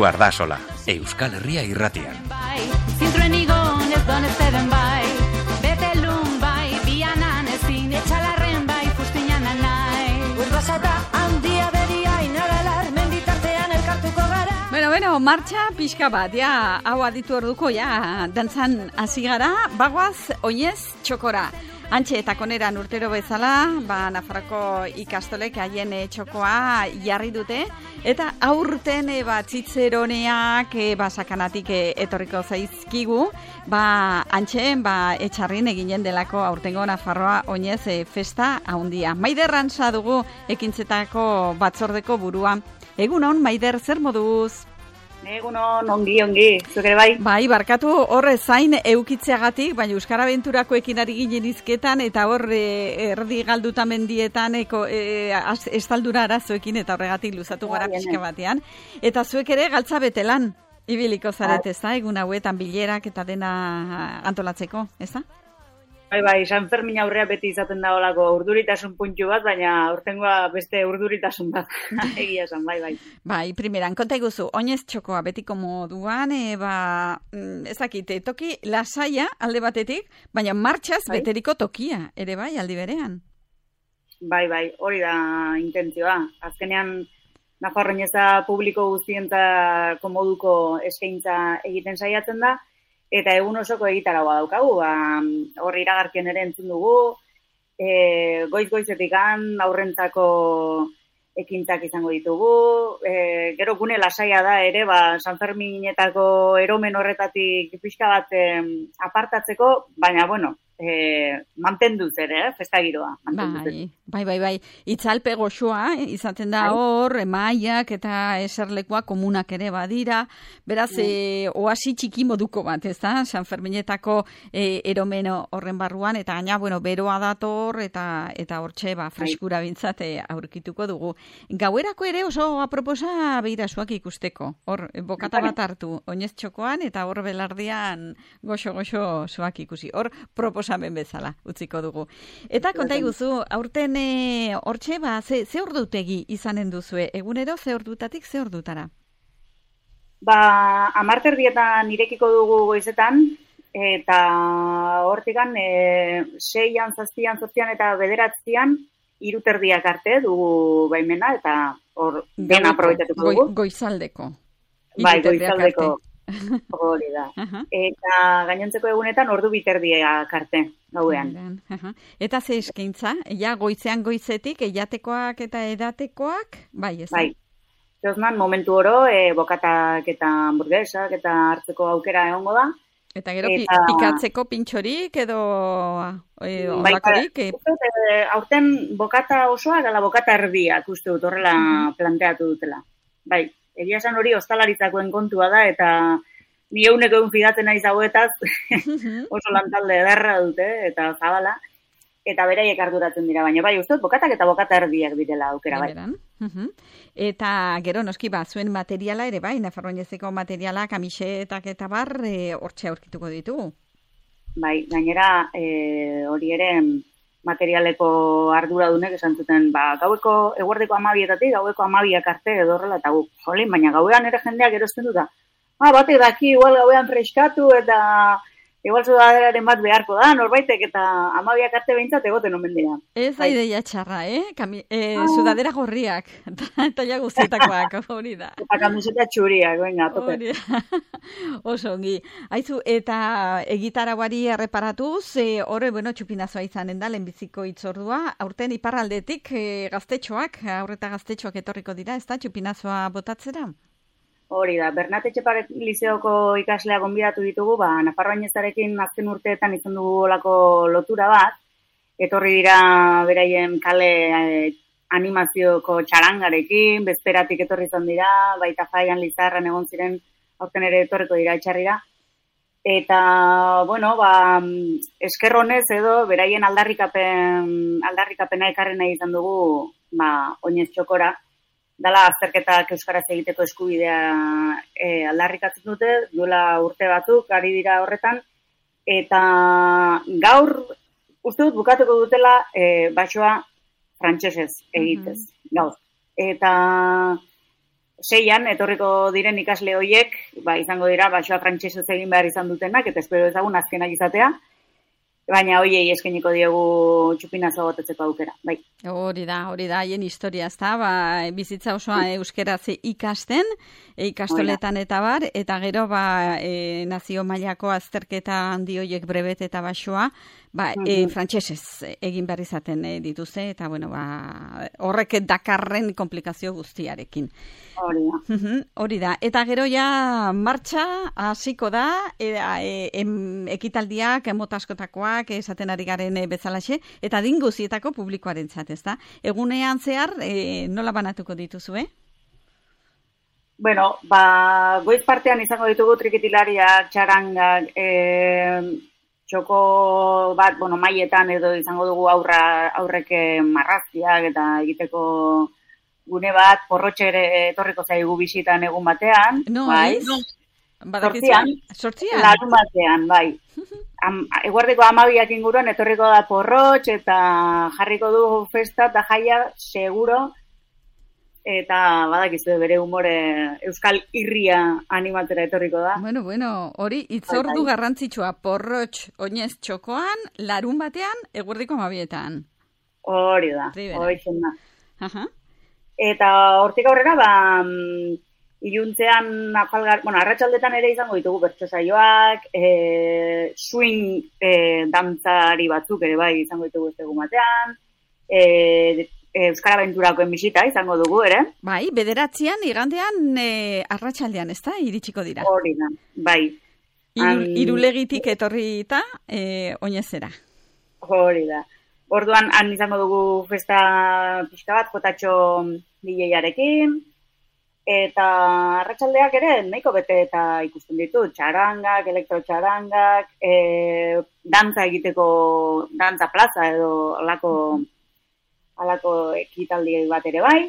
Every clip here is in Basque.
Josu Ardasola, Euskal Herria Irratian. Bueno, martxa pixka bat, ja, hau aditu orduko, ja, dantzan hasi gara, bagoaz, oinez, txokora. Antxe eta koneran urtero bezala, Nafarroko ikastolek haien txokoa jarri dute, eta aurten Tzitzeroneak sakanatik etorriko zaizkigu, antxe, etxarrin eginen delako aurtengo Nafarroa oinez festa haundia. Maider Rantza dugu ekintzetako batzordeko burua. Egunon, Maider, zer moduz? Egunon, ongi, zuk ere bai? Bai, barkatu horre zain eukitzeagatik, baina Euskara Benturakoekin ari ginen izketan, eta horre erdi galduta mendietan estaldura arazoekin, eta horregatik luzatu gara pixka batean. Eta zuek ere galtza betelan, ibiliko zaret, ez da? Egun hauetan bilerak eta dena antolatzeko, ez da? Bai, San Fermin aurrea beti izaten da olako urduritasun puntu bat, baina aurtengoa beste urduritasun bat egia esan, bai. Bai, primeran, konta iguzu, oinez txokoa betiko moduan, ezakite, toki lasaia alde batetik, baina martxaz beteriko tokia, ere bai, aldi berean. Bai, hori da intentzioa. Azkenean, Nafarro oineza publiko guztientzako moduko eskaintza egiten saiatzen da, eta egun osoko egitaragoa daukagu, hor iragarkien ere entzun dugu, goiz-goizetik aurrentzako ekintzak izango ditugu, gero gune lasaia da ere, San Ferminetako eromen horretatik pixka bat apartatzeko, baina, mantenduz ere, festa giroa. Bai. Itzalpe goxoa, izaten da hor, emaiak eta eserlekoa komunak ere badira. Beraz, oasi txiki moduko bat, ez da? San Ferminetako eromen horren barruan, eta gaina, beroa dator, eta hortxe, freskura bintzate aurkituko dugu. Gauerako ere oso aproposa behira zuak ikusteko. Hor, bokata bat hartu, oinez txokoan, eta hor belardian goxo-goxo zuak ikusi. Hor, proposamen bezala, utziko dugu. Eta konta iguzu, aurten hortxe, ze ordutegi izanen duzue? Egunero, ze ordutatik, ze ordutara? 10:00 irekiko dugu goizetan, eta hortikan 6:00, 7:00, 8:00 eta 9:00 3:30 arte dugu baimena, eta hor dena aprobetatuko dugu. Goizaldeko. Bai, goizaldeko. Hori da. Eta gainontzeko egunetan 2:30 arte, gauean. Eta ze eskaintza? Ja, goizetik, edatekoak eta edatekoak? Bai, ez? Bai. Zozman, momentu oro, bokatak eta hamburguesak eta hartzeko aukera egongo da. Eta gero pikatzeko pintxorik edo olakorik? Aurten bokata osoa, gala bokata erdiak uste dut horrela planteatu dutela. Bai. Egia esan hori ostalaritzakoen kontua da, eta ni egun fidatzen naiz hauetaz, oso lantalde ederra dute, eta zabala, eta beraiek arduratzen dira, baina bai, uste, bokatak eta bokata erdiak direla aukera, bai. Eta gero, noski, zuen materiala ere, bai, Nafarro oinezeko materiala, kamisetak eta bar, hortxe aurkituko ditugu. Bai, gainera, hori ere, materialeko arduradunek esan zuten, gaueko eguerdeko 12:00, gaueko 12:00 arte edo horrela, eta jolin, baina gauean ere jendeak erozten dut da. Batek daki, igual gauean freskatu, eta igual sudaderaren bat beharko da, norbaitek, eta 12:00 arte behintzat egoten omen dira. Ez da ideia txarra, sudadera gorriak, eta ja guztietakoak, hori da. Eta kamiseta txuriak, venga, tope. Oso ongi. Aizu, eta egitarauari erreparatuz, horre, txupinazoa izanen da, lehenbiziko itzordua, aurten iparraldetik gaztetxoak, aurreta gaztetxoak etorriko dira, ez da, txupinazoa botatzera? Hori da, Bernat Etxeparet lizeoko ikaslea gonbidatu ditugu, Nafarro oinezarekin azken urteetan izan dugu olako lotura bat, etorri dira beraien kale animazioko txarangarekin, bezperatik etorri izan dira, baita Jaian Lizarran egon ziren, aurten ere etorriko dira etxarrira. Eta, esker honez edo, beraien aldarrikapena ekarri nahi izan dugu, oinez txokora, dala azterketak euskaraz egiteko eskubidea aldarrikatzen dute, duela urte batzuk, ari dira horretan, eta gaur, uste dut bukatuko dutela, basoa frantsesez egitez, gaur. Eta 6an etorriko diren ikasle horiek, izango dira, basoa frantsesez egin behar izan dutenak, eta espero ezagun azkenak izatea, baina hoiei eskainiko diegu txupinazo gotetzeko aukera, bai. Hori da, haien historia, ezta, bizitza osoa euskeraz ikasten, ikastoletan eta bar, eta gero, nazio mailako azterketa handi horiek brebet eta basoa, frantsesez egin behar izaten dituzte, eta, horrek dakarren komplikazio guztiarekin. Hori da. Eta gero ja martxa hasiko da, ekitaldiak, mota askotakoak, esaten ari garen bezalaxe, eta dinguzietako publikoarentzat, ezta? Egunean zehar, nola banatuko dituzue? Goiz partean izango ditugu trikitilariak, txarangak, txoko bat, maietan edo izango dugu aurrek marrazkiak eta egiteko gune bat, porrotxe ere etorriko zaigu bisitan egun batean. Sortzian? Larun batean, bai. Eguerdiko 12 inguruan etorriko da porrotx eta jarriko du festa eta jaia seguro, eta badakizu bere humore euskal irria animatera etorriko da. Hori itzordu garrantzitsua, porrotx oinez txokoan, larun batean, eguerdiko 12etan. Hori da, hori zen da. Eta hortik aurrera, iluntzean arratsaldetan ere izango ditugu bertso saioak, swing dantzari batzuk ere izango ditugu ez egun batean, Euskara Abenturako bisita izango dugu ere. Bai, 9 igandean arratsaldean, ezta, iritsiko dira. Hori da, bai. Irulegitik etorrita oinezera. Hori da. Orduan, han izango dugu festa pixka bat, jotatxo DJ-arekin, eta arratsaldeak ere nahiko bete eta ikusten ditu, txarangak, elektrotxarangak, dantza egiteko, dantza plaza edo alako ekitaldi bat ere bai,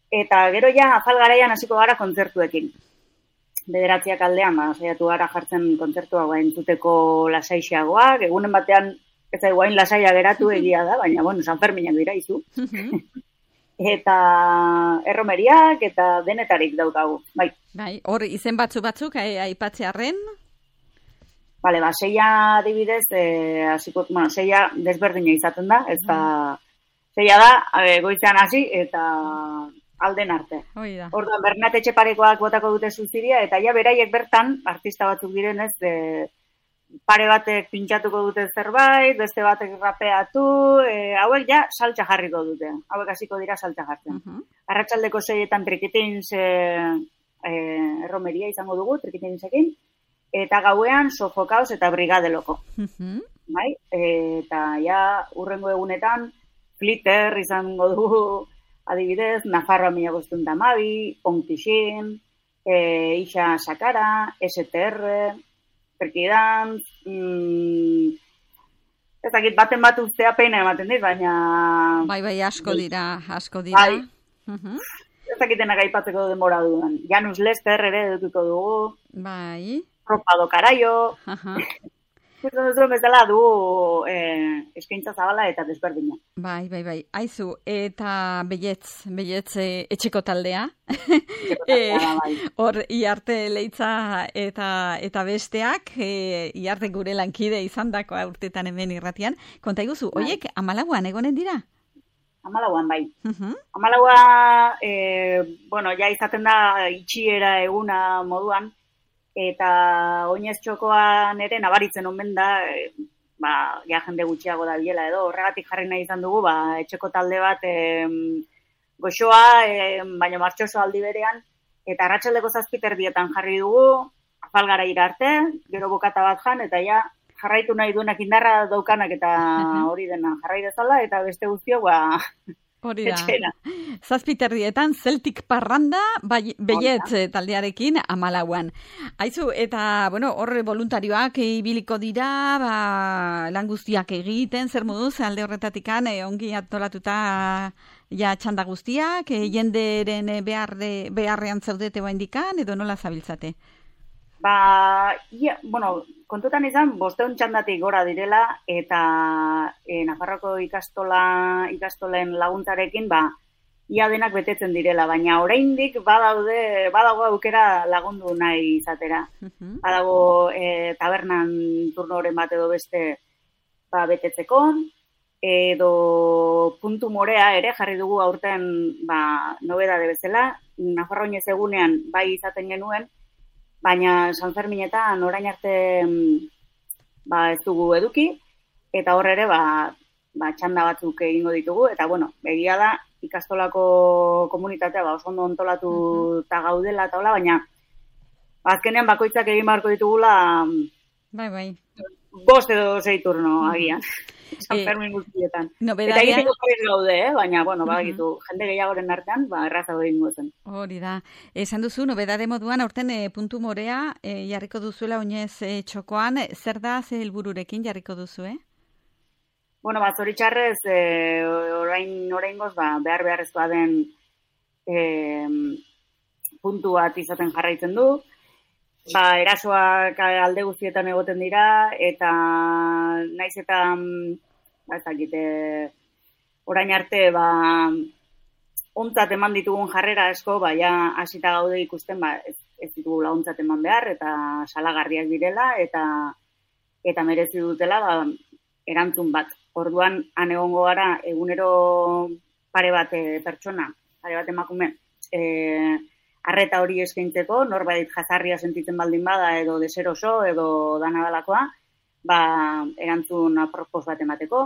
eta gero ja afal garaian hasiko gara kontzertuekin. 9 aldean, saiatu gara jartzen kontzertua entzuteko lasaixeagoak, egunen batean ez da guain lasaia geratu egia da, baina, San Ferminak dira izu. Eta erromeriak eta denetarik daukagu, bai. Bai, hor izen batzuk aipatzearren? Bale, 6a adibidez, seia desberdina izaten da, ez da, seia da, goizean hasi eta alden arte. Orduan, Bernat Etxeparekoak botako dute zuziria, eta ja beraiek bertan, artista batzuk direnez, pare batek pintxatuko dute zerbait, beste batek rapeatu, hauek ja saltza jarriko dute. Hauek hasiko dira saltza jartzen. Arratsaldeko 6etan trikitins erromeria izango dugu, trikitinsekin, eta gauean sofokaos eta brigadeloko. Bai? Eta ja urrengo egunetan flitter izango dugu, adibidez, Nafarroa 1512, Onkixin, Ixa Sakara, STR, Perkidan, ez dakit baten bat ustea peina ematen dit, baina... Bai, asko dira. Bai, ez dakitenak aipatzeko denbora dudan. Janus Lester ere edutuko dugu. Bai. Ropado Karaio. Kustan bezala du eskaintza zabala eta desberdina. Bai. Aizu, eta belletz etxeko taldea. Hor, Iarte Leitza eta besteak, Iarte gure lankide izandakoa urtetan hemen irratian. Konta iguzu, oiek 14an egonen dira? 14an, bai. 14a, ja izaten da itxiera eguna moduan, eta oinez txokoan ere nabaritzen omen da, ja jende gutxiago da biela edo, horregatik jarri nahi izan dugu, etxeko talde bat goxoa, baina martxoso aldi berean, eta arratsaldeko 7:00 jarri dugu, afalgara arte, gero bokata bat jan, eta ja jarraitu nahi duenak indarra daukanak eta hori dena jarrai dezala, eta beste guztio, hori da. 7:30 Celtic parranda, belletz taldearekin 14an. Aizu, eta, horre voluntarioak ibiliko dira, lan guztiak egiten, zer moduz, alde horretatikan, ongi antolatuta ja txanda guztiak, jenderen beharrean zaudete indikan, edo nola zabiltzate? Kontutan izan, 500 txandatik gora direla, eta Nafarroko ikastolen laguntzarekin, ia denak betetzen direla, baina oraindik badago aukera lagundu nahi izatera. Badago tabernan turnoren bat edo beste betetzeko, edo puntu morea ere jarri dugu aurten nobedade bezala, Nafarroinez egunean bai izaten genuen, baina Sanferminetan orain arte ez dugu eduki, eta hor ere txanda batzuk egingo ditugu, eta egia da ikastolako komunitatea oso ondo antolatuta gaudela eta hola, baina azkenean bakoitzak egin beharko ditugula bai. 5 edo 6 turno agian. San Fermin guztietan. Eta egiteko prest gaude, baina, badakitu, jende gehiagoren artean, errazago egingo zen. Hori da. Esan duzu, nobedade moduan, aurten puntu morea jarriko duzuela oinez txokoan, zer da, ze helbururekin jarriko duzu, Zoritxarrez, oraingoz, beharrezkoa den puntu bat izaten jarraitzen du, erasoak alde guztietan egoten dira, eta naiz eta orain arte ontzat eman ditugun jarrera asko, hasita gaude ikusten ez ditugula ontzat eman behar, eta salagarriak direla, eta merezi dutela erantzun bat. Orduan, han egongo gara egunero pare bat pertsona, pare bat emakume, arreta hori eskaintzeko, norbait jazarria sentitzen baldin bada, edo deseroso, edo danadalakoa, erantzun apropos bat emateko,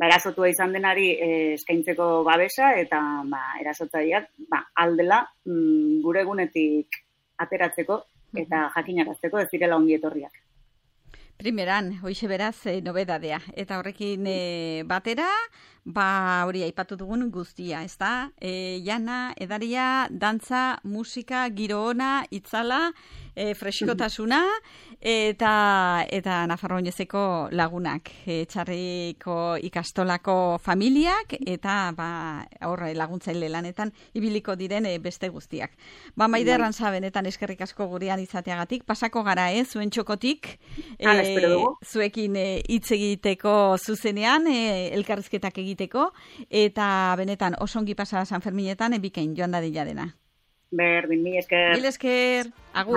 erasotua izan denari eskaintzeko babesa, eta erasotzaileak aldela gure egunetik ateratzeko, eta jakinarazteko ez direla ongi etorriak. Primeran, hoize beraz, nobedadea. Eta horrekin batera, hori aipatu dugun guztia, ez da? Jana, edaria, dantza, musika, giro ona, itzala, freskotasuna, eta Nafarroinezeko lagunak, Txarriko ikastolako familiak, eta laguntzaile lanetan ibiliko diren beste guztiak. Maider Arrantza, benetan eskerrik asko gurean izateagatik, pasako gara, zuen txokotik, zuekin hitz egiteko zuzenean, elkarrizketak egiteko, eta benetan osongi pasa San Ferminetan, bikain joan dadila dena. Berdin, mil esker. Mil esker, agur.